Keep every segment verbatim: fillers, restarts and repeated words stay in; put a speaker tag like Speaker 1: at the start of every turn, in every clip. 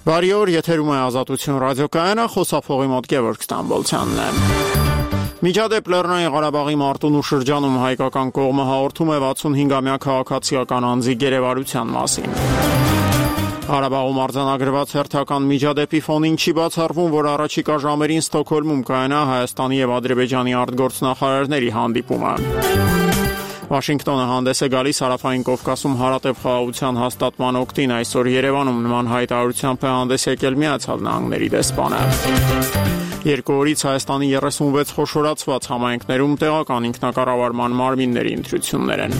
Speaker 1: Բարի օր, եթերում է Ազատություն ռադիոկայանը, խոսափողի մոտ Գևորգ Ստամբոլցյանն է։ Միջադեպ Լեռնային Ղարաբաղի Մարտունու շրջանում հայկական կողմը հաղորդում է վաթսունհինգամյա քաղաքացիական անձի գերեվարության մասին։ Ղարաբաղում արձանագրված հերթական միջադեպի ֆոնին չի բացառվում, որ առաջիկա ժամերին Ստոկհոլմում կայանա Հայաստանի եւ Ադրբեջանի արտգործնախարարների հանդիպումը։ Վաշինգտոնը հանդես է գալիս Հարավային Կովկասում հարատև խաղաղության հաստատման օգտին, այսօր Երևանում նման հայտարարությամբ է հանդես եկել Միացյալ Նահանգների դեսպանը։ Երկու օրից Հայաստանի երեսունվեց խոշորացված համայնքներում տեղական ինքնակառավարման մարմինների ընտրություններ են։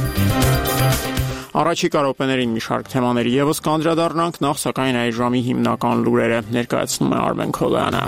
Speaker 1: Առաջիկա րոպեներին մի շարք թեմաների ևս կանդրադառնանք, նախ սակայն այս ժամի հիմնական լուրերը ներկայացնում է Արմեն Քոլյանը։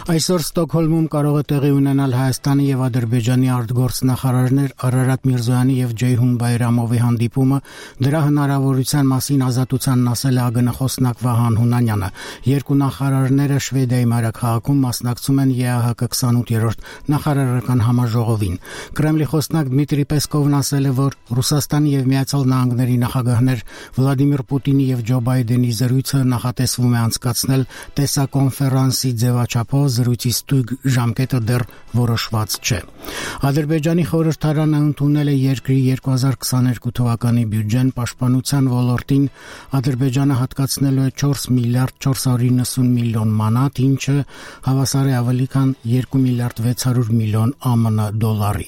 Speaker 2: Այսօր Ստոկհոլմում կարող է տեղի ունենալ Հայաստանի եւ Ադրբեջանի արտգործնախարարներ Արարատ Միրզոյանի եւ Ջեյհուն Բայրամովի հանդիպումը, դրա հնարավորության մասին Ազատությանն ասել է ԱԳՆ-խոսնակ Վահան Հունանյանը։ Երկու նախարարները Շվեդիայի մայրաքաղաքում մասնակցում են ԵԱՀԿ քսանութերորդ նախարարական համաժողովին։ Կրեմլի խոսնակ Դմիտրի Պեսկովն ասել է, որ Ռուսաստանի եւ Միացյալ Նահանգների նախագահներ Վլադիմիր Պուտինի եւ Ջո Բայդենի զրույցը նախատեսվում է անցկացնել տեսակոնֆերանսի ձևաչափով, զրույցի ստույգ ժամկետը դեռ որոշված չէ։ Ադրբեջանի խորհրդարանը ընդունել է երկրի երկու հազար քսաներկու թվականի բյուջեն, պաշտպանության ոլորտին Ադրբեջանը հատկացնելու է չորս միլիարդ չորս հարյուր իննսուն միլիոն մանատ, ինչը հավասար է ավելի քան երկու միլիարդ վեց հարյուր միլիոն ԱՄՆ դոլարի։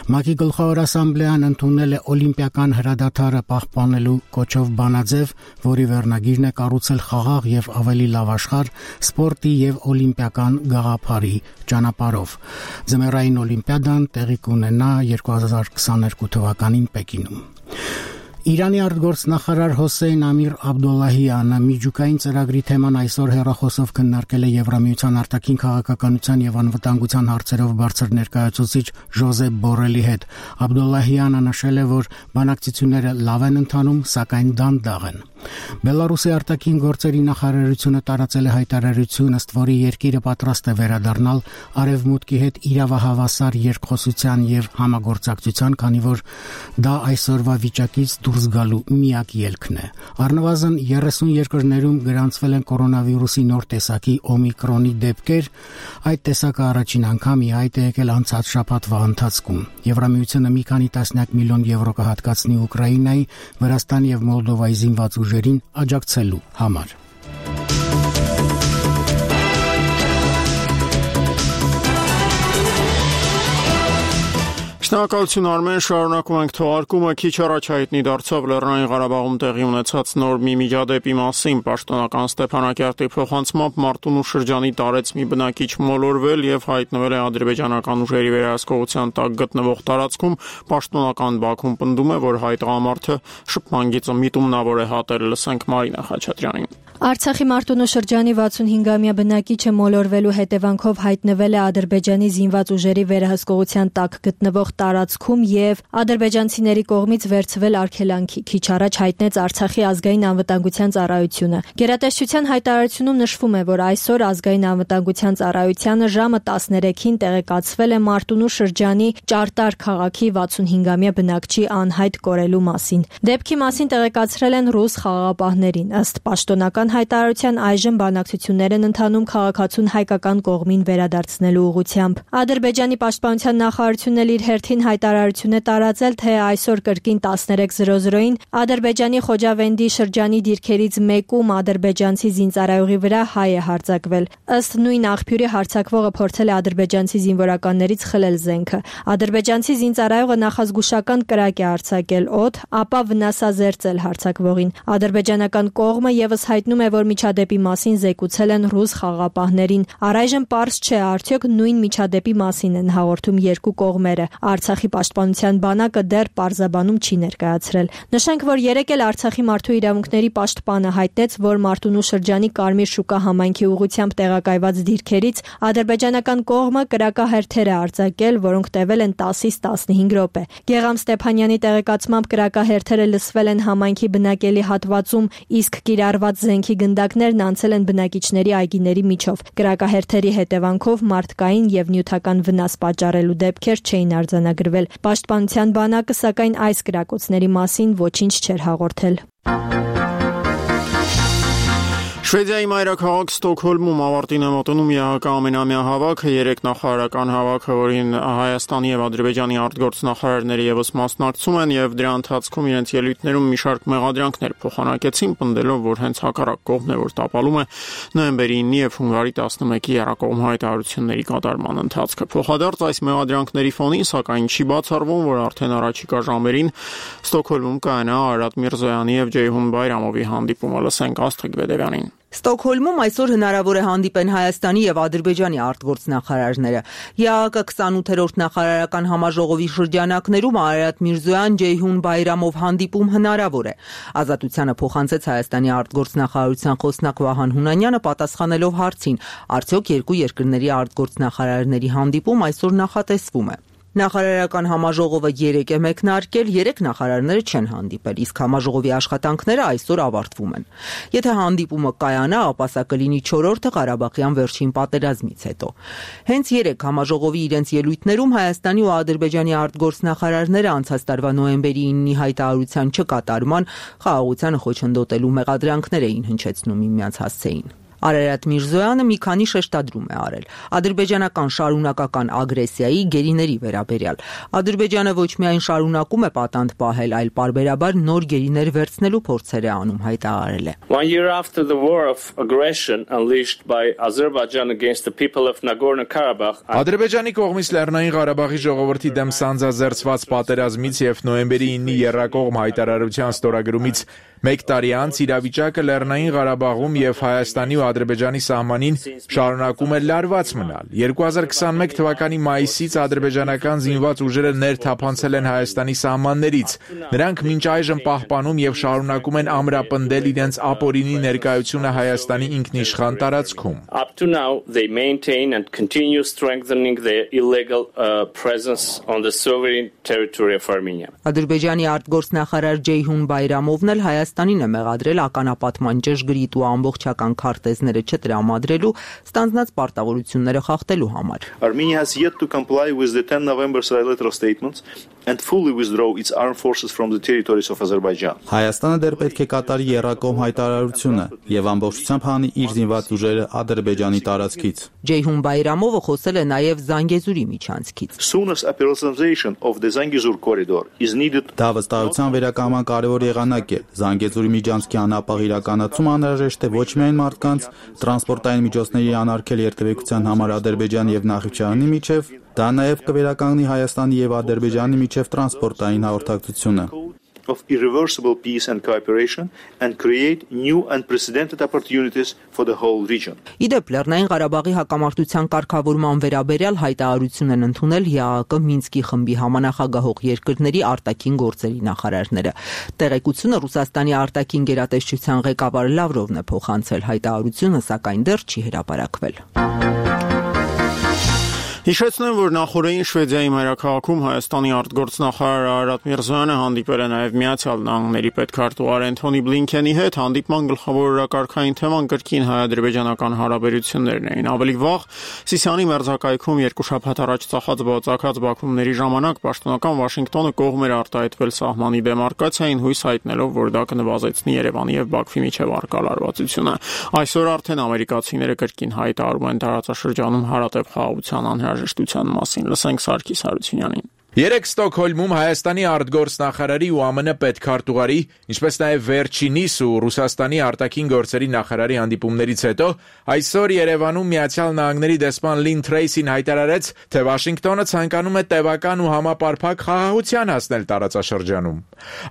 Speaker 2: ՄԱԿ-ի գլխավոր ասամբլեան ընդունել է օլիմպիական հրադադարը պահպանելու կոչով բանաձև, որի վերնագիրն է կառուցել խաղաղ եւ ավելի լավ աշխարհ սպորտի եւ օլիմպիական գաղափարի ճանապարհով։ Ձմեռային օլիմպիադան տեղի կունենա երկու հազար քսաներկու թվականին Պեկինում։ Իրանի արտգործնախարար Հոսեյն Ամիր Աբդոլլահյանը միջուկային ծրագրի թեման այսօր հեռախոսով քննարկել է Եվրամիության արտաքին քաղաքականության եւ անվտանգության հարցերով բարձր ներկայացուցիչ Ժոզեփ Բորելի հետ։ Աբդոլլահյանը նշել է, որ բանակցությունները լավ են ընթանում, սակայն դանդաղ են։ Բելարուսի արտաքին գործերի նախարարությունը տարածել է հայտարարություն, ըստ որի երկիրը պատրաստ է վերադառնալ Արևմուտքի հետ իրավահավասար երկխոսության եւ համագործակցության, քանի որ դա այսօրվա վիճակից դուրս գալու միակ ելքն է։ Առնվազն երեսուն երկրներում գրանցվել են կորոնավիրուսի նոր տեսակի օմիկրոնի դեպքեր, այդ տեսակը առաջին անգամ ի հայտ է եկել անցած շաբաթվա ընթացքում։ Եվրամիությունը մի քանի տասնյակ միլիոն եվրո կհատկացնի Ուկրաինայի, Վրաստանի եւ Մոլդովայի զինված ուժերին աջակցելու համար։
Speaker 1: Շնորհակալություն Արմեն, շարունակում ենք թողարկումը։ Քիչ առաջ հայտնի դարձավ Լեռնային Ղարաբաղում տեղի ունեցած նոր մի միջադեպի մասին։ Պաշտոնական Ստեփանակերտի փոխանցմամբ Մարտունու շրջանի տարեց մի բնակիչ մոլորվել եւ հայտնվել է ադրբեջանական ուժերի վերահսկողության տակ գտնվող տարածքում։ Պաշտոնական Բաքուն պնդում է, որ հայ տղամարդը շփման գիծը միտումնավոր է հատել։ Լսենք Մարինա Խաչատրյանին։
Speaker 3: Արցախի Մարտունու շրջանի վաթսունհինգամյա բնակիչը մոլորվելու հետևանքով հայտնվել է Ադրբեջանի զինված ուժերի վերահսկողության տակ գտնվող տարածքում եւ ադրբեջանցիների կողմից վերցվել արգելանքի, քիչ առաջ հայտնեց Արցախի ազգային անվտանգության ծառայությունը։ Գերատեսչության հայտարարությունում նշվում է, որ այսօր ազգային անվտանգության ծառայությանը ժամը տասներեքին տեղեկացվել է Մարտունու շրջանի Ճարտար քաղաքի վաթսունհինգամյա բնակչի անհայտ կորելու մասին։ Դեպքի մասին տեղեկացրել են ռուս խաղաղապահներին։ Ըստ պաշտոնական հայտարարության այժմ բանակցություններ են ընթանում քաղաքացուն հայկական կողմին վերադարձնելու ուղղությամբ։ Ադրբեջանի պաշտպանության նախարարությունն էլ իր հերթին հայտարարություն է տարածել, թե այսօր կրկին տասներեք զրո զրոյին Ադրբեջանի Խոջավենդի շրջանի դիրքերից մեկում ադրբեջանցի զինծառայողի վրա հայ է հարձակվել։ Ըստ նույն աղբյուրի հարձակվողը փորձել է ադրբեջանցի զինվորականներից խլել զենքը։ Ադրբեջանցի զինծառայողը նախազգուշական կրակ է արձակել օդ, ապա վնասազերծել հարձակվողին։ Ադրբեջանական կողմը եւս հայտնում է, որ միջադեպի մասին զեկուցել են ռուս խաղաղապահներին։ Առայժմ պարզ չէ, արդյոք նույն միջադեպի մասին են հաղորդում երկու կողմերը։ Արցախի պաշտպանության բանակը դեռ պարզաբանում չի ներկայացրել։ Նշենք, որ երեկ էլ Արցախի մարդու իրավունքների պաշտպանը հայտնեց, որ Մարտունու շրջանի Կարմիր շուկա համայնքի ուղղությամբ տեղակայված դիրքերից ադրբեջանական կողմը կրակահերթեր է արձակել, որոնք տևել են տասից տասնհինգ րոպե։ Գեգամ Ստեփանյանի տեղեկացմամբ կրակահերթերը լսվել են համայնքի բնակելի հատվածում, իսկ կիրառված զենքի գնդակներն անցել են բնակիչների այգիների միջով։ Կրակահերթերի հետևանքով մարդկային եւ նյութական վնաս պատճառելու դեպքեր չէին արձանագրվել։ պայմանագրվել։ Պաշտպանության բանակը սակայն այս կրակոցների մասին ոչինչ չէր հաղորդել։
Speaker 1: Շվեդիայի մայրաքաղաք Ստոկհոլմում ավարտին է մոտենում ԵԱՀԿ ամենամյա հավաքը, երեք նախարարական հավաքը, որին Հայաստանի եւ Ադրբեջանի արտգործնախարարները եւս մասնակցում են եւ դրա ընթացքում իրենց ելույթներում մի շարք մեղադրանքներ փոխանակեցին, պնդելով, որ հենց հակառակ կողմն է, որ տապալում է նոյեմբերի ինը եւ հունվարի տասնմեկի եռակողմ հայտարարությունների կատարման ընթացքը։ Փոխադարձ այս մեղադրանքների ֆոնին, սակայն չի բացառվում, որ արդեն առաջիկա ժամերին Ստոկհոլմում կայանա Արարատ Միրզոյանի եւ Ջեյհուն Բայրամովի հանդիպումը։ Լսենք Աստղիկ Բեդևյանին։
Speaker 4: Ստոկհոլմում այսօր հնարավոր է հանդիպեն Հայաստանի եւ Ադրբեջանի արտգործնախարարները։ ԵԱՀԿ քսանութերորդ նախարարական համաժողովի շրջանակներում Արարատ Միրզոյան, Ջեյհուն Բայրամով հանդիպում հնարավոր է։ Ազատությանը փոխանցեց Հայաստանի արտգործնախարարության խոսնակ Վահան Հունանյանը, պատասխանելով հարցին, արդյոք երկու երկրների արտգործնախարարների հանդիպում այսօր նախատեսվում է։ Նախարարական համաժողովը երեկ է մեկնարկել, երեք նախարարները չեն հանդիպել, իսկ համաժողովի աշխատանքները այսօր ավարտվում են։ Եթե հանդիպումը կայանա, ապա սա կլինի չորրորդը Ղարաբաղյան վերջին պատերազմից հետո։ Հենց երեք համաժողովի իրենց ելույթներում Հայաստանի ու Ադրբեջանի արտգործնախարարները անցած տարվա նոյեմբերի ինի հայտարարության չկատարման, խաղաղությանը խոչընդոտելու մեղադրանքներ էին հնչեցնում միմյանց հասցեին։ Արարատ Միրզոյանը մի քանի շեշտադրում է արել ադրբեջանական շարունակական ագրեսիայի գերիների վերաբերյալ։ Ադրբեջանը ոչ միայն շարունակում է պատանդ պահել, այլ պարբերաբար նոր գերիներ վերցնելու փորձեր է անում, հայտարարել է։
Speaker 5: One year after the war of aggression unleashed by Azerbaijan against the people of Nagorno-Karabakh,
Speaker 6: Ադրբեջանի կողմից Լեռնային Ղարաբաղի ժողովրդի դեմ սանձազերծված պատերազմից եւ նոյեմբերի ինի եռակողմ հայտարարության ստորագրումից մեկ տարի անց իրավիճակը Լեռնային Ղարաբաղում եւ Հայաստանի ու Ադրբեջանի սահմանին շարունակում է լարված մնալ։ երկու հազար քսանմեկ թվականի մայիսից ադրբեջանական զինված ուժերը ներթափանցել են Հայաստանի սահմաններից։ Նրանք մինչ այժմ պահպանում եւ շարունակում են ամրապնդել իրենց ապօրինի ներկայությունը Հայաստանի ինքնիշխան տարածքում։
Speaker 5: Up to now they maintain and continue strengthening their illegal uh, presence on the sovereign territory of Armenia.
Speaker 4: Ադրբեջանի արտգործնախարար Ջեյհուն Բայրամովն էլ Հայաստանին է մեղադրել ականապատման ճշգրիտ ու ամբողջական քարտեզները չտրամադրելու, ստանձնած պարտավորությունները խախտելու համար։
Speaker 7: Armenia has yet to comply with the ten November trilateral statements and fully withdraw its armed forces from the territories of Azerbaijan.
Speaker 8: Հայաստանը դեռ պետք է կատարի եռակողմ հայտարարությունը եւ ամբողջությամբ հանի իր զինված ուժերը Ադրբեջանի տարածքից։
Speaker 4: Ջեյհուն Բայրամովը խոսել է նաեւ Զանգեզուրի միջանցքից։
Speaker 7: Soonest operationalization of the Zangezur corridor is needed.
Speaker 8: Դա վստահության վերականգնման կարևոր եղանակ է։ Զանգեզուրի միջանցքի անապահ իրականացումը անհրաժեշտ է ոչ միայն մարդկանց, տրանսպորտային միջոցների անարգել երթևեկության համար Ադրբեջանի եւ Նախիջևանի միջև, դա նաեւ կվերականգնի Հայաստանի եւ Ադրբեջանի միջև տրանսպորտային հաղորդակցությունը։
Speaker 7: Of irreversible peace and cooperation and create new unprecedented opportunities for the whole region.
Speaker 4: Իդեպ Լեռնային Ղարաբաղի հակամարտության կարգավորման վերաբերյալ հայտարարություն են ընդունել ԵԱՀԿ Մինսկի խմբի համանախագահող երկրների արտաքին գործերի նախարարները։ Տեղեկությունը Ռուսաստանի արտաքին գերատեսչության ղեկավար Լավրովն է փոխանցել, հայտարարությունը սակայն դեռ չի հրապարակվել։
Speaker 1: Հիշեցնեմ, որ նախորդին Շվեդիայի մայրաքաղաքում Հայաստանի արտգործնախարար Արարատ Միրզոյանը հանդիպել է նաև Միացյալ Նահանգների պետքարտուղար Էնթոնի Բլինքենի հետ, հանդիպման գլխավոր օրակարգային թեման կրկին հայ-ադրբեջանական հարաբերություններն էին։ Ավելի վաղ Սիսիանի մերձակայքում երկու շաբաթ առաջ ծախած բացակած բախումների ժամանակ պաշտոնական Վաշինգտոնը կողմ էր արտահայտվել սահմանի դեմարկացիային, հույս հայտնելով, որ դա կնվազեցնի Երևանի եւ Բաքվի միջև առկա լարվածությունը։ Այսօր արդեն ամերիկացիները կրկին հայտարարում են տարածաշրջանում հարատև խաղաղության անհրաժեշտության մասին։ Լսենք Սարգիս Հարությունյանին։
Speaker 6: Երեք Ստոկհոլմում Հայաստանի արտգործնախարարի ու ԱՄՆ պետքարտուղարի, ինչպես նաև վերջինիս ու Ռուսաստանի արտաքին գործերի նախարարի հանդիպումներից հետո այսօր Երևանում Միացյալ Նահանգների դեսպան Լին Թրեյսին հայտարարեց, թե Վաշինգտոնը ցանկանում է տևական ու համապարփակ խաղաղության հասնել տարածաշրջանում։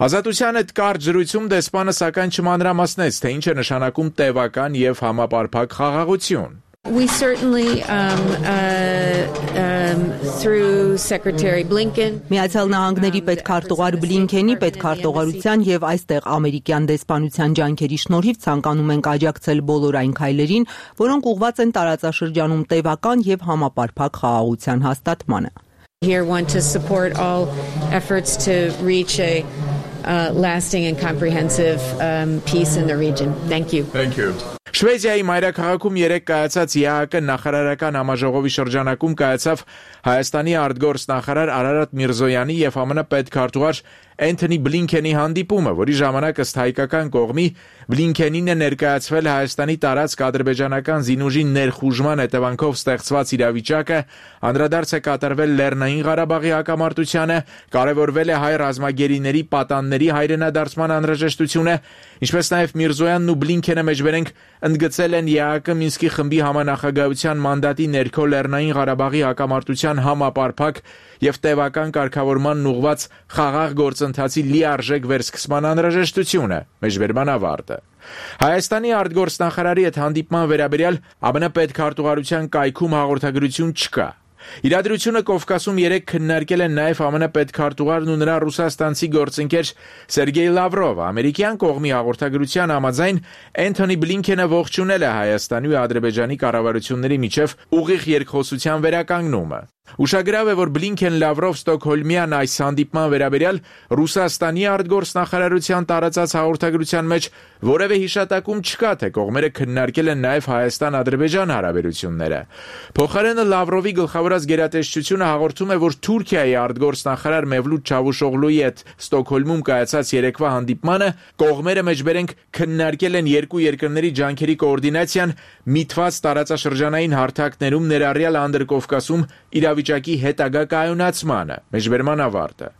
Speaker 6: Ազատության հետ կարճ զրույցում դեսպանը սակայն չմանրամասնեց, թե ինչ է նշանակում տևական եւ համապարփակ խաղաղություն։
Speaker 9: We certainly, um, uh, um, through Secretary Blinken,
Speaker 4: Միացյալ Նահանգների պետքարտուղար Բլինքենի պետքարտուղարության եւ այստեղ ամերիկյան դեսպանության ջանքերի շնորհիվ ցանկանում ենք աջակցել բոլոր այն քայլերին, որոնք ուղղված են տարածաշրջանում տևական եւ համապարփակ խաղաղության հաստատմանը։
Speaker 9: Here want to support all efforts to reach a uh, lasting and comprehensive um, peace in the region. Thank you.
Speaker 6: Thank you. Շվեդիայի մայրաքաղաքում երեկ կայացած ԵԱՀԿ նախարարական համաժողովի շրջանակում կայացավ Հայաստանի արտգործ նախարար Արարատ Միրզոյանի եւ ԱՄՆ պետքարտուղար Էնթոնի Բլինքենի հանդիպումը, որի ժամանակ ըստ հայկական կողմի Բլինքենին է ներկայացվել Հայաստանի տարածք ադրբեջանական զինուժի ներխուժման հետևանքով ստեղծված իրավիճակը, անդրադարձ է կատարվել Լեռնային Ղարաբաղի հակամարտությանը, կարևորվել է հայ ռազմագերիների պատանների հայրենադարձման անհրաժեշտությունը, ինչպես նաև Միրզոյանն ու Բլինքենը մեջբերենք ընդգծել են ԵԱՀԿ Մինսկի խմբի համանախագահության մանդատի ներքո Լեռնային Ղարաբաղի հակամարտության համապարփակ եւ տևական կարգավորման ուղղված խաղաղ գործընթացի լիարժեք վերսկսման անհրաժեշտությունը, մեջբերման ավարտը։ Հայաստանի արտգործնախարարի հետ հանդիպման վերաբերյալ ԱՄՆ պետքարտուղարության կայքում հաղորդագրություն չկա։ Իրադրությունը Կովկասում երեկ քննարկել են նաև ԱՄՆ պետքարտուղարն ու նրա ռուսաստանցի գործընկեր Սերգեյ Լավրովը։ Ամերիկյան կողմի հաղորդագրության համաձայն Էնթոնի Բլինքենը ողջունել է Հայաստանի ու Ադրբեջանի կառավարությունների միջև ուղիղ երկխոսության վերականգնումը։ Ուշագրավ է, որ Բլինքեն-Լավրով Ստոկհոլմյան այս հանդիպման վերաբերյալ Ռուսաստանի արտգործնախարարության տարածած հաղորդագրության մեջ որևէ հիշատակում չկա, թե կողմերը քննարկել են նաև Հայաստան-Ադրբեջան հարաբերությունները։ Փոխարենը Լավրովի գլխավորած գերատեսչությունը հաղորդում է, որ Թուրքիայի արտգործնախարար Մևլութ Չավուշօղլուի հետ Ստոկհոլմում կայացած երեկվա հանդիպմանը կողմերը մեջբերենք քննարկել են երկու երկրների ջանքերի կոորդինացիան միտված տարածաշրջանային հարթակներում ներառյալ Անդրկովկասում իրավիճակի հետագա կայունացմանը, մեջբերման ավարտը։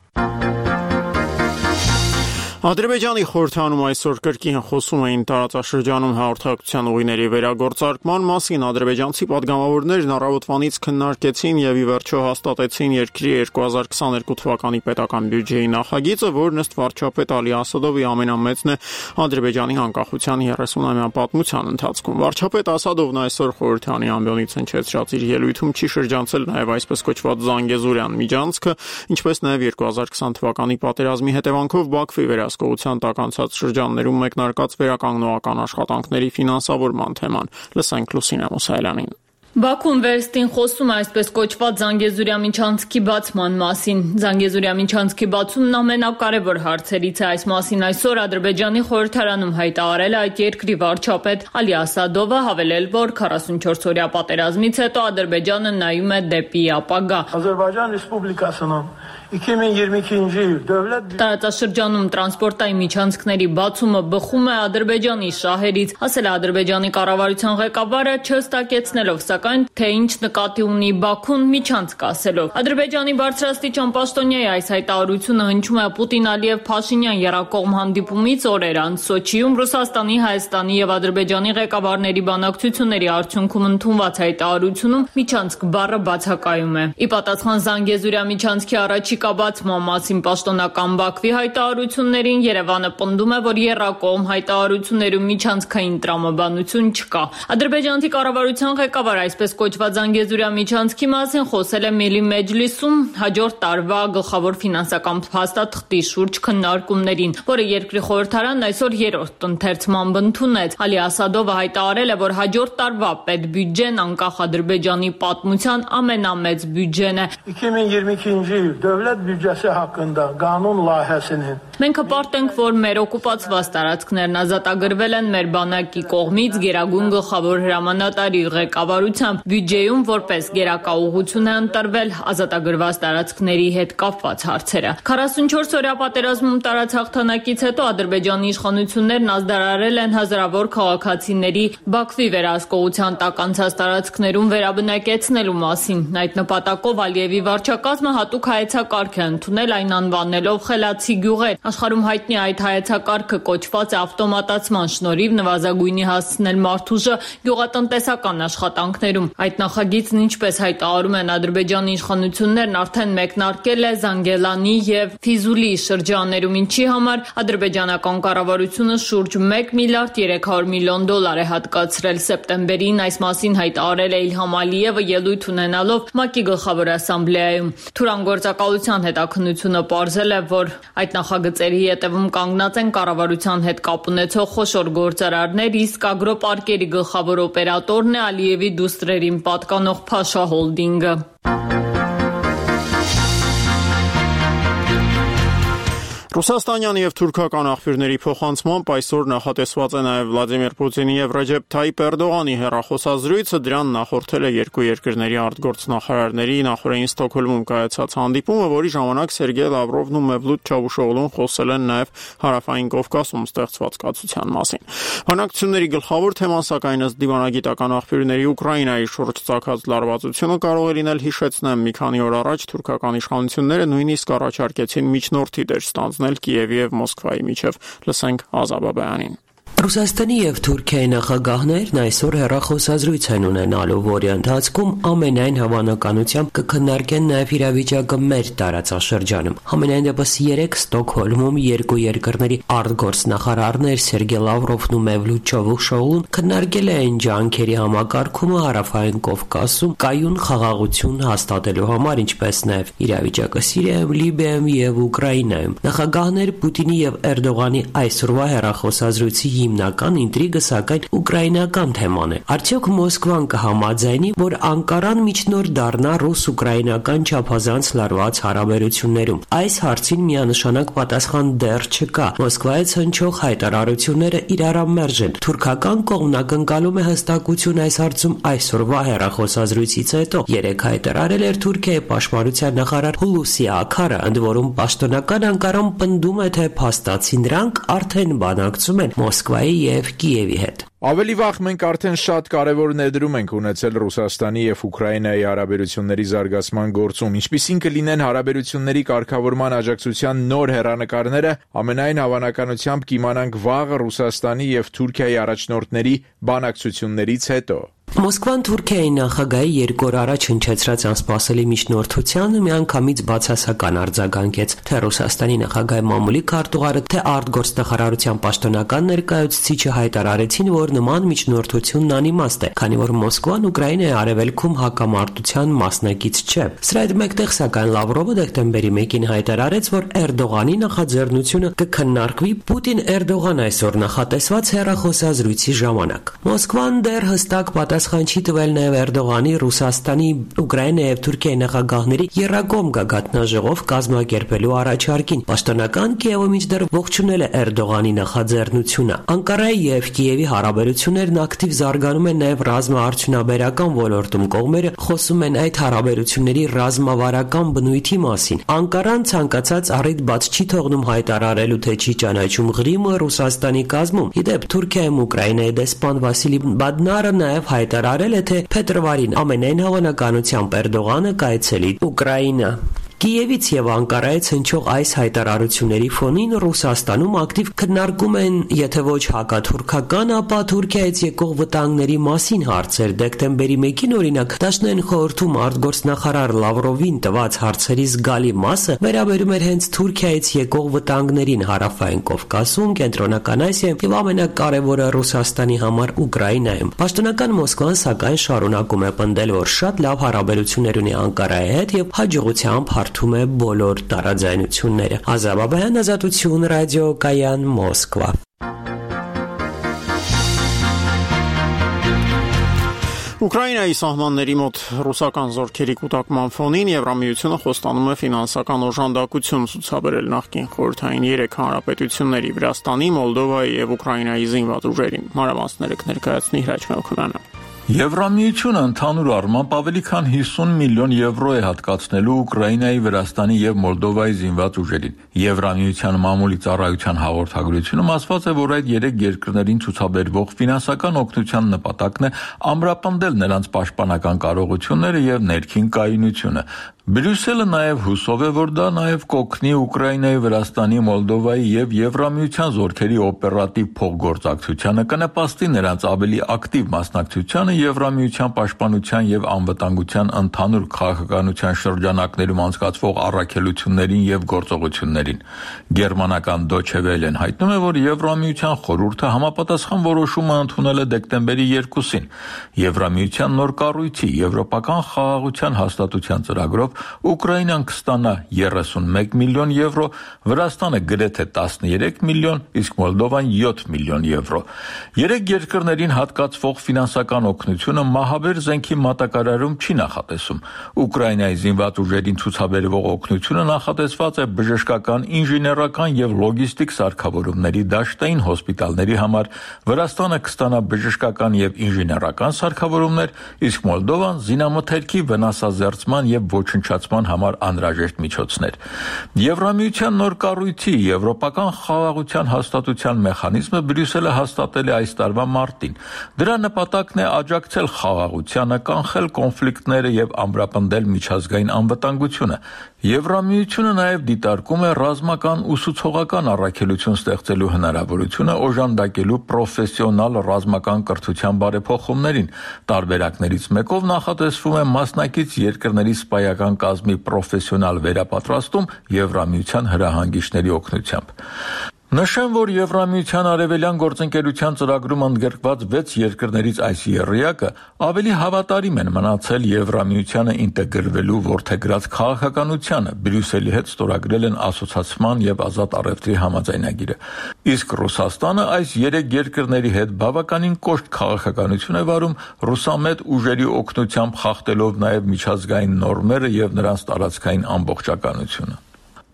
Speaker 1: Ադրբեջանի խորհրդանում այսօր կրկին խոսում էին տարածաշրջանում հաղորդակցության ուղիների վերագործարկման մասին։ Ադրբեջանցի պատգամավորներն առավոտվանից քննարկեցին եւ ի վերջո հաստատեցին երկրի երկու հազար քսաներկու թվականի պետական բյուջեի նախագիծը, որն ըստ վարչապետ Ալի Ասադովի ամենամեծն է Ադրբեջանի անկախության երեսունամյա պատմության ընթացքում։ Վարչապետ Ասադովն այսօր խորհրդանի ամբիոնից հնչեցրած իր ելույթում չի շրջանցել նաեւ այսպես կոչված Զանգեզուրյան միջանցքը, ինչպես նաեւ երկու հազար քսան թվականի պատերազմի հետևանքով Բաքվի վերահսկողության տակ անցած շրջաններում մեկնարկած վերականգնողական աշխատանքների ֆինանսավորման թեման։ Լսենք Լուսինե Մուսայելյանին։
Speaker 10: Բաքուն վերստին խոսում է այսպես կոչված Զանգեզուրյա միջանցքի բացման մասին։ Զանգեզուրյա միջանցքի բացումն ամենակարևոր հարցերից է։ Այս մասին այսօր Ադրբեջանի խորհրդարանում հայտարարել է այդ երկրի վարչապետ Ալի Ասադովը, հավելել, որ քառասունչորս օրյա պատերազմից հետո Ադրբեջանը նայում է դեպի ապագա։
Speaker 11: Ադրբեջան Ռեսպուբլիկասının iki bin yirmi ikinci yıl devlet
Speaker 10: Տարածաշրջանում տրանսպորտային միջանցքների բացումը բխում է Ադրբեջանի շահերից, ասել է Ադրբեջանի կառավարության ղեկավարը, չհստակեցնելով սակայն, թե ինչ նկատի ունի Բաքուն միջանցք ասելով։ Ադրբեջանի բարձրաստիճան պաշտոնյայի այս հայտարարությունը հնչում է Պուտին-Ալիև-Փաշինյան եռակողմ հանդիպումից օրեր անց Սոչիում Ռուսաստանի, Հայաստանի եւ Ադրբեջանի ղեկավարների բանակցությունների արդյունքում ընդունված հայտարարությունում միջանցք բառը բացակայում է։ Ի պատասխան Զանգեզուրյա միջանցքի առաջի Կաբացման մասին պաշտոնական Բաքվի հայտարարություններին Երևանը պնդում է, որ եռակողմ հայտարարություններում միջանցքային տրամաբանություն չկա։ Ադրբեջանցի կառավարության ղեկավար այսպես կոչված Զանգեզուրյա միջանցքի մասին խոսել է Միլի Մեջլիսում հաջորդ տարվա գլխավոր ֆինանսական փաստաթղթի շուրջ քննարկումներին, որը երկրի խորհրդարանն այսօր երրորդ ընթերցմամբ ընդունեց։ Ալի Ասադովը հայտարարել է, որ հաջորդ տարվա պետբյուջեն անկախ Ադրբեջանի պատմության ամենամեծ բյուջեն է։
Speaker 11: iki bin yirmi ikinci yıl devlet büdcesi hakkında kanun layihəsinin
Speaker 10: Մենք հպարտ ենք, որ մեր օկուպացված տարածքներն ազատագրվել են մեր բանակի կողմից Գերագույն գլխավոր հրամանատարի ղեկավարությամբ բյուջեում որպես գերակա ուղղություն է ընտրվել ազատագրված տարածքների հետ կապված հարցերը։ քառասունչորս օրյա պատերազմում տարած հաղթանակից հետո Ադրբեջանի իշխանություններն ազդարարել են հազարավոր քաղաքացիների Բաքվի վերահսկողության տակ անցած տարածքներում վերաբնակեցնելու մասին։ Այդ նպատակով Ալիևի վարչակազմը հատուկ հայեցակարգ է ընդունել, այն անվանելով խելացի գյուղեր։ Աշխարհում հայտնի այդ հայեցակարգը կոչված է ավտոմատացման շնորհիվ նվազագույնի հասցնել մարդուժը գյուղատնտեսական աշխատանքներում։ Այդ նախագիծն, ինչպես հայտարարում են Ադրբեջանի իշխանություններն, արդեն մեկնարկել է Զանգելանի եւ Ֆիզուլի շրջաններում, ինչի համար ադրբեջանական կառավարությունը շուրջ մեկ միլիարդ երեք հարյուր միլիոն դոլար է հատկացրել։ Սեպտեմբերին այս մասին հայտարարել է Իլհամ Ալիևը ելույթ ունենալով ՄԱԿ-ի գլխավոր ասամբլեայում։ Թուրան գործակալության հետաքննությունը պարզել է, որ այդ նախագծերի հետևում կանգնած են կառավարության հետ կապ ունեցող խոշոր գործարարներ, իսկ ագրոպարկերի գլխավոր օպերատորն է Ալիևի դուստրերին պատկանող Փաշա հոլդինգը։
Speaker 1: Ռուսաստանյան եւ թուրքական աղբյուրների փոխանցմամբ այսօր նախատեսված է նաեւ Վլադիմիր Պուտինի եւ Ռեջեփ Թայիփ Էրդողանի հեռախոսազրույցը, դրան նախորդել է երկու երկրների արտգործնախարարների նախորդին Ստոկհոլմում կայացած հանդիպումը, որի ժամանակ Սերգեյ Լավրովն ու Մևլութ Չավուշօղլուն խոսել են նաեւ Հարավային Կովկասում ստեղծված կացության մասին։ Բանակցությունների գլխավոր թեման սակայն ըստ դիվանագիտական աղբյուրների Ուկրաինայի շուրջ ծագած լարվածությունը կարող է լինել, հիշեցնեմ, մի քանի օր առաջ թուրքական իշխանությունները նույնիսկ առաջարկեցին միջնորդի դեր ստանձնել Կիևի եւ Մոսկվայի միջև։ Լսենք Ազաբաբյանին։
Speaker 12: Ռուսաստանի եւ Թուրքիայի նախագահներն այսօր հեռախոսազրույց են ունենալու, որի ընթացքում ամենայն հավանականությամբ կքննարկեն նաեւ իրավիճակը մեր տարածաշրջանում։ Համենայն դեպս երեք Ստոկհոլմում երկու երկրների արտգործնախարարներ Սերգեյ Լավրովն ու Մևլութ Չավուշօղլուն քննարկել են ջանքերի համակարգումը Հարավային Կովկասում կայուն խաղաղություն հաստատելու համար, ինչպես նաեւ իրավիճակը Սիրիայում, Լիբիայում եւ Ուկրաինայում։ Նախագահներ Պուտինի եւ Էրդողանի այսօրվա հեռախոսազրույցի հիմնական ինտրիգը սակայն ուկրաինական թեման է։ Արդյոք Մոսկվան կհամաձայնի, որ Անկարան միջնորդ դառնա ռուս-ուկրաինական չափազանց լարված հարաբերություններում։ Այս հարցին միանշանակ պատասխան դեռ չկա։ Մոսկվայից հնչող հայտարարությունները իրարամերժ են։ Թուրքական կողմն ակնկալում է հստակություն այս հարցում այսօրվա հեռախոսազրույցից հետո։ Երեք հայտարարել էր Թուրքիայի պաշտպանության նախարար Հուլուսի Աքարը, ընդ որում պաշտոնական Անկարան պնդում է, թե փաստացի նրանք արդեն բանակցում են Մոսկվայի եւ Կիևի հետ։
Speaker 6: Ավելի վաղ մենք արդեն շատ կարևոր ներդրում ենք ունեցել Ռուսաստանի եւ Ուկրաինայի հարաբերությունների զարգացման գործում, ինչպիսին կլինեն հարաբերությունների կարգավորման աջակցության նոր հեռանկարները, ամենայն հավանականությամբ կիմանանք վաղը Ռուսաստանի եւ Թուրքիայի առաջնորդների բանակցություններից հետո։
Speaker 12: Մոսկվան Թուրքիայի նախագահի երկու օր առաջ հնչեցրած անսպասելի միջնորդությանը միանգամից բացասական արձագանքեց թե Ռուսաստանի նախագահի մամուլի քարտուղարը, թե արտգործնախարարության պաշտոնական ներկայացուցիչը հայտարարեցին, որ նման միջնորդությունն անիմաստ է, քանի որ Մոսկվան Ուկրաինայի արևելքում հակամարտության մասնակից չէ։ Սրա հետ մեկտեղ սակայն Լավրովը դեկտեմբերի մեկին հայտարարեց, որ Էրդողանի նախաձեռնությունը կքննարկվի Պուտին-Էրդողան այսօր նախատեսված հեռախոսազրույցի ժամանակ։ Մոսկվան դեռ հստակ պատասխան չի տվել նաև Էրդողանի, Ռուսաստանի, Ուկրաինայի եւ Թուրքիայի նախագահների եռակողմ գագաթնաժողով կազմակերպելու առաջարկին։ Պաշտոնական Կիևը մինչդեռ ողջունել է Էրդողանի նախաձեռնությունը։ Անկարայի եւ Կիևի հարաբերություններն ակտիվ զարգանում են նաև ռազմաարդյունաբերական ոլորտում։ Կողմերը խոսում են այդ հարաբերությունների ռազմավարական բնույթի մասին։ Անկարան ցանկացած առիթ բաց չի թողնում հայտարարելու, թե չի ճանաչում Ղրիմը Ռուսաստանի կազմում։ Իդեպ Թուրքիայում Ուկրաինայի դեսպան Վասիլի Բադնարը նաև հայտարարել է, թե փետրվարին ամենայն հավանականությամբ Էրդողանը կայցելի Ուկրաինա։ Կիևից եւ Անկարայից հնչող այս հայտարարությունների ֆոնին Ռուսաստանում ակտիվ քննարկում են, եթե ոչ հակաթուրքական, ապա Թուրքիայից եկող վտանգների մասին հարցեր։ Դեկտեմբերի մեկին օրինակ Դաշնային խորհրդում արտգործնախարար Լավրովին տված հարցերի զգալի մասը վերաբերում էր հենց Թուրքիայից եկող վտանգներին Հարավային Կովկասում, Կենտրոնական Ասիայում եւ ամենակարևորը Ռուսաստանի համար Ուկրաինայում։ Պաշտոնական Մոսկվան սակայն շարունակում է պնդել, որ շատ լավ հարաբերություններ ունի Անկարայի հետ եւ հաջողությամբ հարթում է բոլոր տարաձայնությունները։ Ազաբաբյան, Ազատություն, ռադիոկայան, Մոսկվա։
Speaker 1: Ուկրաինայի սահմանների մոտ ռուսական զորքերի կուտակման ֆոնին Եվրամիությունը խոստանում է ֆինանսական օժանդակություն ցուցաբերել նախկին խորհրդային երեք հանրապետությունների՝ Վրաստանի, Մոլդովայի եւ Ուկրաինայի զինված ուժերին։ Մանրամասները կներկայացնի Հրաչ Մելքոնյանը։
Speaker 13: Եվրամիությունը ընդհանուր առմամբ ավելի քան հիսուն միլիոն եվրո է հատկացնելու Ուկրաինայի, Վրաստանի եւ Մոլդովայի զինված ուժերին։ Եվրամիության մամուլի ծառայության հաղորդագրությունում ասված է, որ այդ երեք երկրներին ցուցաբերվող ֆինանսական օգնության նպատակն է ամրապնդել նրանց պաշտպանական կարողությունները եւ ներքին կայունությունը։ Բրյուսելը նաև հուսով է, որ դա նաև կօգնի Ուկրաինայի, Վրաստանի, Մոլդովայի եւ Եվրամիության զորքերի օպերատիվ փոխգործակցությանը, կնպաստի նրանց ավելի ակտիվ մասնակցությանը Եվրամիության պաշտպանության եւ անվտանգության ընդհանուր քաղաքականության շրջանակներում անցկացվող առաքելություններին եւ գործողություններին։ Գերմանական Deutsche Welle-ն հայտնում է, որ Եվրամիության խորհուրդը համապատասխան որոշումը ընդունել է դեկտեմբերի երկուսին։ Եվրամիության նոր կառույցի Եվրոպական խաղաղության հաստատության ծրագրով Ուկրաինան կստանա երեսունմեկ միլիոն եվրո, Վրաստանը գրեթե տասներեք միլիոն, իսկ Մոլդովան յոթ միլիոն եվրո։ Երեք երկրներին հատկացվող ֆինանսական օգնությունը մահաբեր զենքի մատակարարում չի նախատեսում։ Ուկրաինայի զինված ուժերին ցուցաբերվող օգնությունը նախատեսված է բժշկական, ինժեներական եւ լոգիստիկ սարքավորումների, դաշտային հոսպիտալների համար, Վրաստանը կստանա բժշկական եւ ինժեներական սարքավորումներ, իսկ Մոլդովան զինամթերքի վնասազերծման եւ ոչնչացման համար անհրաժեշտ միջոցներ։ Եվրամիության նոր կառույցի Եվրոպական խաղաղության հաստատության մեխանիզմը Բրյուսելը հաստատել է այս տարվա մարտին։ Դրա նպատակն է աջակցել խաղաղությանը, կանխել կոնֆլիկտները եւ ամրապնդել միջազգային անվտանգությունը։ Եվրամիությունը նաև դիտարկում է ռազմական ուսուցողական առաքելություն ստեղծելու հնարավորությունը օժանդակելու պրոֆեսիոնալ ռազմական կրթության բարեփոխումներին։ Տարբերակներից մեկով նախատեսվում է մասնակից երկրների սպայական կազմի պրոֆեսիոնալ վերապատրաստում Եվրամիության հրահանգիչների օգնությամբ։ Նշեմ, որ Եվրամիության արևելյան գործընկերության ծրագրում ընդգրկված վեց երկրներից այս եռյակը ավելի հավատարիմ են մնացել Եվրամիությանը ինտեգրվելու որդեգրած քաղաքականությանը, Բրյուսելի հետ ստորագրել են ասոցիացման եւ ազատ առևտրի համաձայնագիրը։ Իսկ Ռուսաստանը այս երեք երկրների հետ բավականին կոշտ քաղաքականություն է վարում, ռուսամետ ուժերի օգնությամբ խախտելով նաեւ միջազգային նորմերը եւ նրանց տարածքային ամբողջականությունը։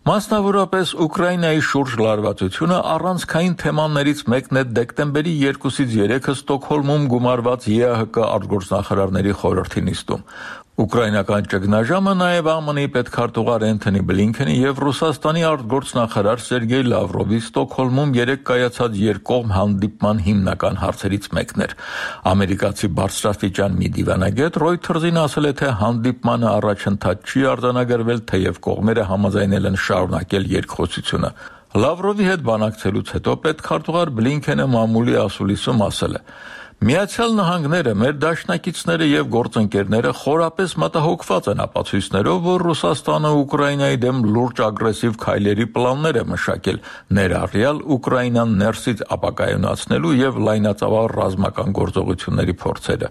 Speaker 13: Մասնավորապես Ուկրաինայի շուրջ լարվածությունը առանցքային թեմաներից մեկն է դեկտեմբերի երկուսից երեքը Ստոկհոլմում գումարված ԵԱՀԿ արտգործնախարարների խորհրդի նիստում։ Ուկրաինական ճգնաժամը նաև ԱՄՆ-ի պետքարտուղար Էնթոնի Բլինքենի եւ Ռուսաստանի արտգործնախարար Սերգեյ Լավրովի Ստոկհոլմում երեկ կայացած երկկողմ հանդիպման հիմնական հարցերից մեկն էր։ Ամերիկացի բարձրաստիճան մի դիվանագետ Reuters-ին ասել է, թե հանդիպմանը առաջընթաց չի արձանագրվել, թեև կողմերը համաձայնել են շարունակել երկխոսությունը։ Լավրովի հետ բանակցելուց հետո պետքարտուղար Բլինքենը մամուլի ասուլիսում ասել է. Միացյալ Նահանգները, մեր դաշնակիցները եւ գործընկերները խորապես մտահոգված են ապացույցներով, որ Ռուսաստանը Ուկրաինայի դեմ լուրջ ագրեսիվ քայլերի պլաններ է մշակել, ներառյալ Ուկրաինան ներսից ապակայունացնելու եւ լայնածավալ ռազմական գործողությունների փորձերը։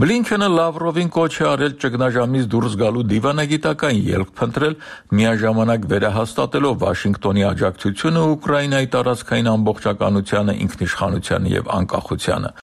Speaker 13: Բլինքենը Լավրովին կոչ է արել ճգնաժամից դուրս գալու դիվանագիտական ելք փնտրել, միաժամանակ վերահաստատելով Վաշինգտոնի աջակցությունը Ուկրաինայի տարածքային ամբողջականությանը, ինքնիշխանությանը եւ անկախությանը։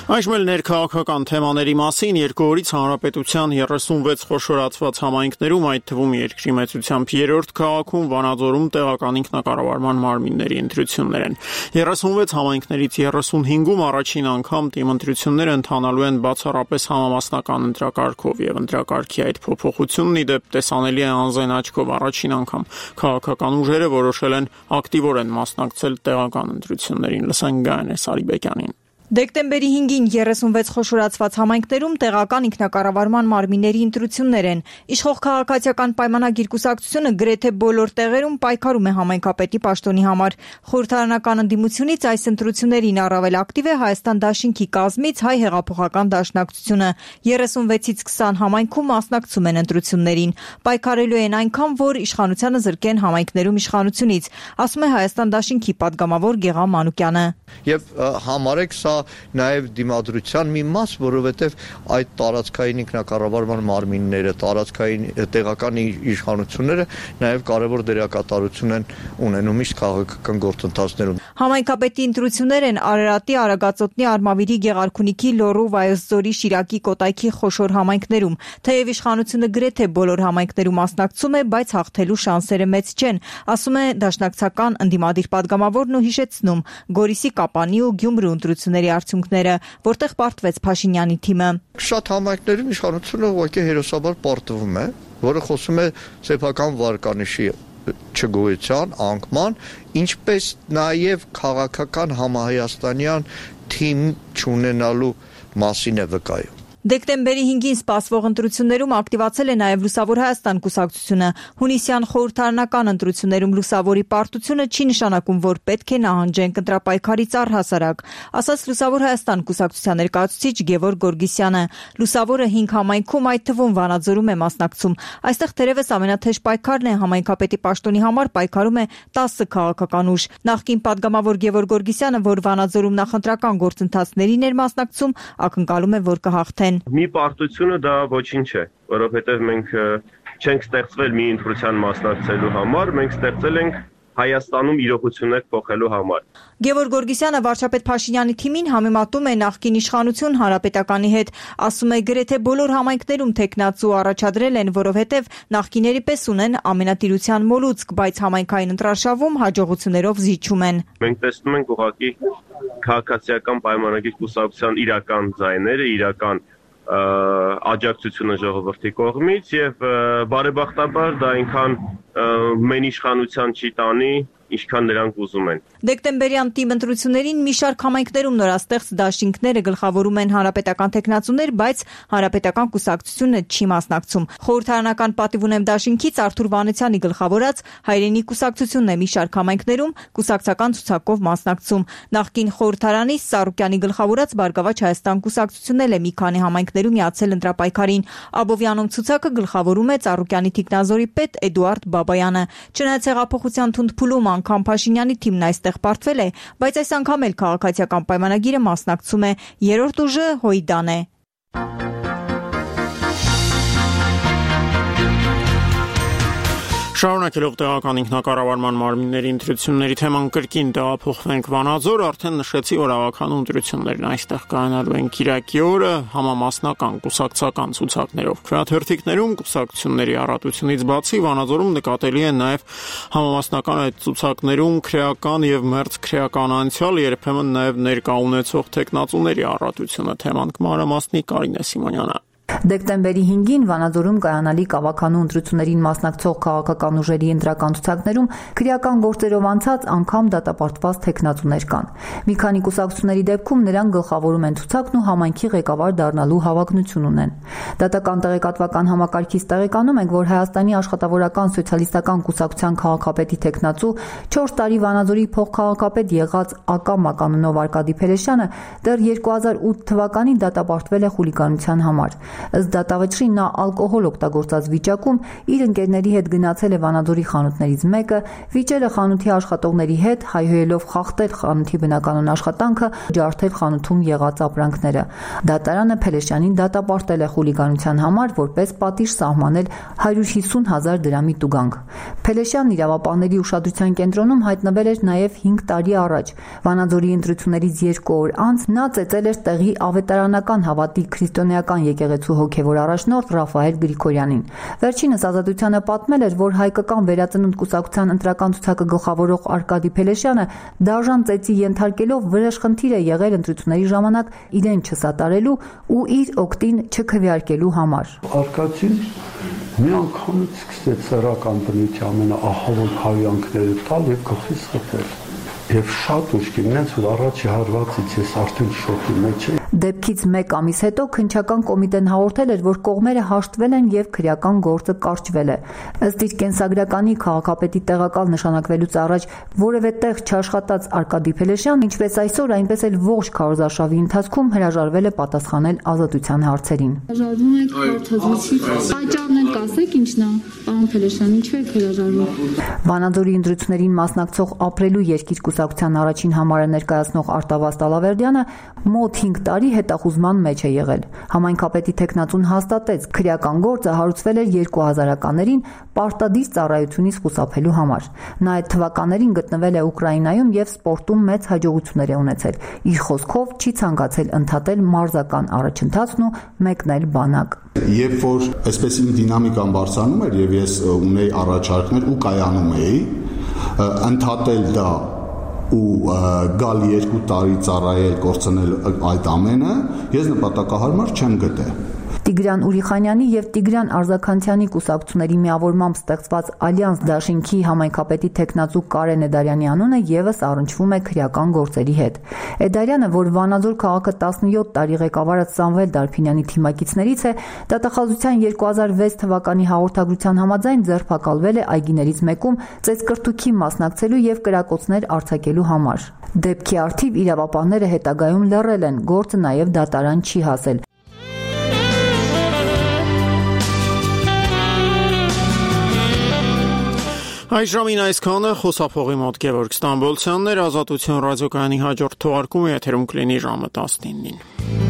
Speaker 1: Այժմ էլ ներքաղաքական թեմաների մասին երկու օրից հանրապետության երեսունվեց խոշորացված համայնքներում, այդ թվում երկրի մեծությամբ երրորդ քաղաքում Վանաձորում տեղական ինքնակառավարման մարմինների ընտրություններ են։ երեսունվեց համայնքներից երեսունհինգում առաջին անգամ թիմ ընտրությունները ընթանալու են բացառապես համամասնական ընտրակարգով եւ ընտրակարգի այդ փոփոխությունն ի դեպ տեսանելի է անզեն աչքով առաջին անգամ քաղաքական ուժերը որոշել են ակտիվորեն մասնակցել տեղական ընտրություններին։ Լսենք Գայանե Սարիբեկյանին։
Speaker 3: Դեկտեմբերի հինգին երեսունվեց խոշորացված համայնքներում տեղական ինքնակառավարման մարմինների ընտրություններ են։ Իշխող քաղաքացիական պայմանագիր կուսակցությունը գրեթե բոլոր տեղերում պայքարում է համայնքապետի պաշտոնի համար։ Խորհրդարանական ընդդիմությունից այս ընտրություններին առավել ակտիվ է Հայաստան դաշինքի կազմից Հայ հեղափոխական դաշնակցությունը։ երեսունվեցից քսան համայնքում մասնակցում են ընտրություններին։ Պայքարելու են այնքան, որ իշխանությանը զրկեն համայնքներում իշխանությունից, ասում է Հայաստան դաշինքի падգամավոր Գեղամ Մանուկյանը։
Speaker 14: Եվ համարեք սա նաև դիմադրության մի մաս, որովհետև այդ տարածքային ինքնակառավարման մարմինները, տարածքային տեղական իշխանությունները նաև կարևոր դերակատարություն են ունենում միշտ քաղաքական գործընթացներում։
Speaker 3: Համայնքապետի ընտրություններ են Արարատի, Արագածոտնի, Արմավիրի, Գեղարքունիքի, Լոռու, Վայոց-Ձորի, Շիրակի, Կոտայքի խոշոր համայնքներում։ Թեև իշխանությունը գրեթե բոլոր համայնքներում մասնակցում է, բայց հաղթելու շանսերը մեծ չեն, ասում է դաշնակցական ընդդիմադիր падգամավորն ու հիշեցնում Գորիսի, Կապանի ու Գյումրու ընտրությունների արդյունքները, որտեղ պարտվեց Փաշինյանի թիմը։
Speaker 14: Շատ համայնքներում իշխանությունը ուղղակի հերոսաբար պարտվում է, որը խոսում է սեփական վարկանիշի չգոյության, անկման, ինչպես նաև քաղաքական համահայաստանյան թիմ չունենալու մասին է վկայում։
Speaker 3: Դեկտեմբերի հինգին սպասվող ընտրություններում ակտիվացել է նաև Լուսավոր Հայաստան կուսակցությունը։ Հունիսյան խորհրդարանական ընտրություններում Լուսավորի պարտությունը չի նշանակում, որ պետք է նահանջենք ընտրապայքարից առհասարակ, ասաց Լուսավոր Հայաստան կուսակցության ներկայացուցիչ Գևորգ Գորգիսյանը։ Լուսավորը հինգ համայնքում, այդ թվում Վանաձորում է մասնակցում։ Այստեղ թերևս ամենաթեժ պայքարն է համայնքապետի պաշտոնի համար պայքարում է տասը քաղաքական ուժ։ Նախկին падգամավոր Գևորգ Գորգիսյանը, որ Վանաձորում նախընտրական գործընթացներին էր մասնակցում, ակնկալում է, որ կհաղթեն։ են։
Speaker 15: Մի պարտությունը դա ոչինչ չէ, որովհետև մենք չենք ստեղծվել մի ընտրության մասնակցելու համար, մենք ստեղծել ենք Հայաստանում իրողություններ փոխելու համար։
Speaker 4: Գևորգ Գորգիսյանը վարչապետ Փաշինյանի թիմին համեմատում է նախկին իշխանություն Հանրապետականի հետ, ասում է գրեթե բոլոր համայնքներում տեխնացու առաջադրել են, որովհետև նախկիների պես ունեն ամենատիրության մոլուցք, բայց համայնքային ընտրարշավում հաջողություններով զիջում են։
Speaker 15: Մենք տեսնում ենք ուղղակի քաղաքացիական պայմանագիր կուսակցության իրական ձայները, իրական աջակցությունը ժողովրդի կողմից եւ բարեբախտաբար դա այնքան մեն իշխանության չի տանի, ինչքան նրանք ուզում են։
Speaker 4: Դեկտեմբերյան թիմ ընտրություններին մի շարք համայնքներում նորաստեղծ դաշինքները գլխավորում են հանրապետական տեխնացուներ, բայց հանրապետական կուսակցությունը չի մասնակցում։ Խորհրդարանական պատիվ ունեմ դաշինքից Արթուր Վանեցյանի գլխավորած հայրենի կուսակցությունն է մի շարք համայնքներում կուսակցական ցուցակով մասնակցում։ Նախկին խորհրդարանի Սարուկյանի գլխավորած Բարգավաճ Հայաստան կուսակցությունն էլ է մի քանի համայնքներում միացել ընտրապայքարին։ Աբովյանում ցուցակը գլխավորում է Սարուկյանի թիկնազորի պետ Էդուարդ Բաբայանը։ Չնայած հեղափոխության թունդ-փուլում անգամ Փաշինյանի թիմն այստեղ պարտվել է, բայց այս անգամ էլ քաղաքացիական պայմանագիրը մասնակցում է։ Երրորդ ուժը Հույդան է։
Speaker 1: Շարունակելով տեղական ինքնակառավարման մարմինների ընտրությունների թեման կրկին տեղափոխվենք Վանաձոր, արդեն նշեցի, որ ավականու ընտրություններն այստեղ կայանալու են Կիրակի օրը համամասնական կուսակցական ցուցակներով։ Քվեաթերթիկներում կուսակցությունների առատությունից բացի Վանաձորում նկատելի է նաև համամասնական այդ ցուցակներում քրեական եւ մերձ քրեական անցյալ, երբեմն նաև ներկա ունեցող տեխնացուների առատությունը։ Թեման կմանրամասնի Կարինե Սիմոնյանը։
Speaker 4: Դեկտեմբերի հինգին Վանաձորում կայանալիք ավականու ընտրություններին մասնակցող քաղաքական ուժերի ընտրական ցուցակներում քրեական գործերով անցած անգամ դատապարտված տեխնացուներ կան։ Մի քանի կուսակցությունների դեպքում նրանք գլխավորում են ցուցակն ու համայնքի ղեկավար դառնալու հավակնություն ունեն։ Դատական տեղեկատվական համակարգից տեղեկանում ենք, որ Հայաստանի աշխատավորական սոցիալիստական կուսակցության քաղաքապետի տեխնացու չորս տարի Վանաձորի փոխքաղաքապետ եղած Ակամ ականունով Արկադի Փելեշյանը դեռ երկու հազար ութ թվականին դատապարտվել է խուլիգանության համար։ Ըստ դատավճռի նա ալկոհոլ օգտագործած վիճակում իր ընկերների հետ գնացել է Վանաձորի խանութներից մեկը, վիճել է խանութի աշխատողների հետ, հայհոյելով խախտել խանութի բնականon աշխատանքը, ջարդել խանութում եղած ապրանքները։ Դատարանը Փելեշյանին դատապարտել է խուլիգանության համար, որպես պատիժ սահմանել հարյուր հիսուն հազար դրամի տուգանք։ Փելեշյանն իրավապահների ուշադրության կենտրոնում հայտնվել էր նաև հինգ տարի առաջ։ Վանաձորի ընտրություններից երկու օր անց նա ծեծել էր տեղի ավետարանական հավատի քրիստոնեական եկեղեցու հոգևոր առաջնորդ Ռաֆայել Գրիգորյանին։ Վերջինս ազատությանը պատմել էր, որ հայկական վերածնունդ կուսակցության ընտրական ցուցակը գլխավորող Արկադի Փելեշյանը դաժան ծեծի ենթարկելով վրեժխնդիր է եղել ընտրությունների ժամանակ իրեն չսատարելու ու իր օգտին չքվեարկելու համար։
Speaker 16: Արկադին մի անգամից սկսեց սեռական բնույթի ամենաահավոր հայանքները տալ եւ գլխից խփել։ Եվ շատ ուշքի նենց որ առաջի հարվածից ես արդեն շոկի մեջ եմ։
Speaker 4: Դեպքից մեկ ամիս հետո քննչական կոմիտեն հաղորդել էր, որ կողմերը հաշտվել են եւ քրեական գործը կարճվել է։ Ըստ իր կենսագրականի քաղաքապետի տեղակալ նշանակվելուց առաջ որևէ տեղ չաշխատած Արկադի Փելեշյանն ինչպես այսօր, այնպես էլ ողջ քարոզարշավի ընթացքում հրաժարվել է պատասխանել ազատության հարցերին։
Speaker 17: Հրաժարվում եք քարտազրույցից։ Պատճառն եք ասեք ինչն է, պարոն Փելեշյան, ինչու եք հրաժարվում։
Speaker 4: Վանաձորի ընտրություններին մասնակցող ապրելու երկիր կուսակցության առաջին համարը ներկայացնող Արտավազդ Ալավերդյանը մոտ հինգ տարի հետախուզման մեջ է եղել։ Համայնքապետի տեխնացուն հաստատեց, քրեական գործը հարուցվել էր երկու հազարականներին պարտադիր ծառայությունից խուսափելու համար։ Նա այդ թվականներին գտնվել է Ուկրաինայում եւ սպորտում մեծ հաջողություններ է ունեցել։ Իր խոսքով չի ցանկացել ընդհատել մարզական առաջընթացն ու մեկնել բանակ։
Speaker 18: Երբ որ այսպես իմ դինամիկան բարձրանում էր եւ ես ունեի առաջարկներ ու կայանում էի, ընդհատել դա ու գալ երկու տարի ծառայել, կորցնել այդ ամենը, ես նպատակահարմար չեմ գտել։
Speaker 4: Տիգրան Ուրիխանյանի եւ Տիգրան Արզականցյանի կուսակցությունների միավորմամբ ստեղծված Ալյանս Դաշինքի համայնքապետի տեխնացու Կարեն Էդարյանի անունը եւս առնչվում է քրեական գործերի հետ։ Էդարյանը, որ Վանաձոր քաղաքը տասնյոթ տարի ղեկավարած Սամվել Դարփինյանի թիմակիցներից է, դատախազության երկու հազար վեց թվականի հաղորդագրության համաձայն ձերբակալվել է այգիներից մեկում ծեծկրտուքի մասնակցելու եւ կրակոցներ արձակելու համար։ Դեպքի առթիվ իրավապահները հետագայում լռել են, գործը նաեւ դատարան չի հասել։
Speaker 1: Այժմին այսքանը խոսափողի մոտ Գևորգ Ստամբոլցյանն էր, Ազատություն ռադիոկայանի հաջորդ թողարկումը եթերում կլինի ժամը տասնինին։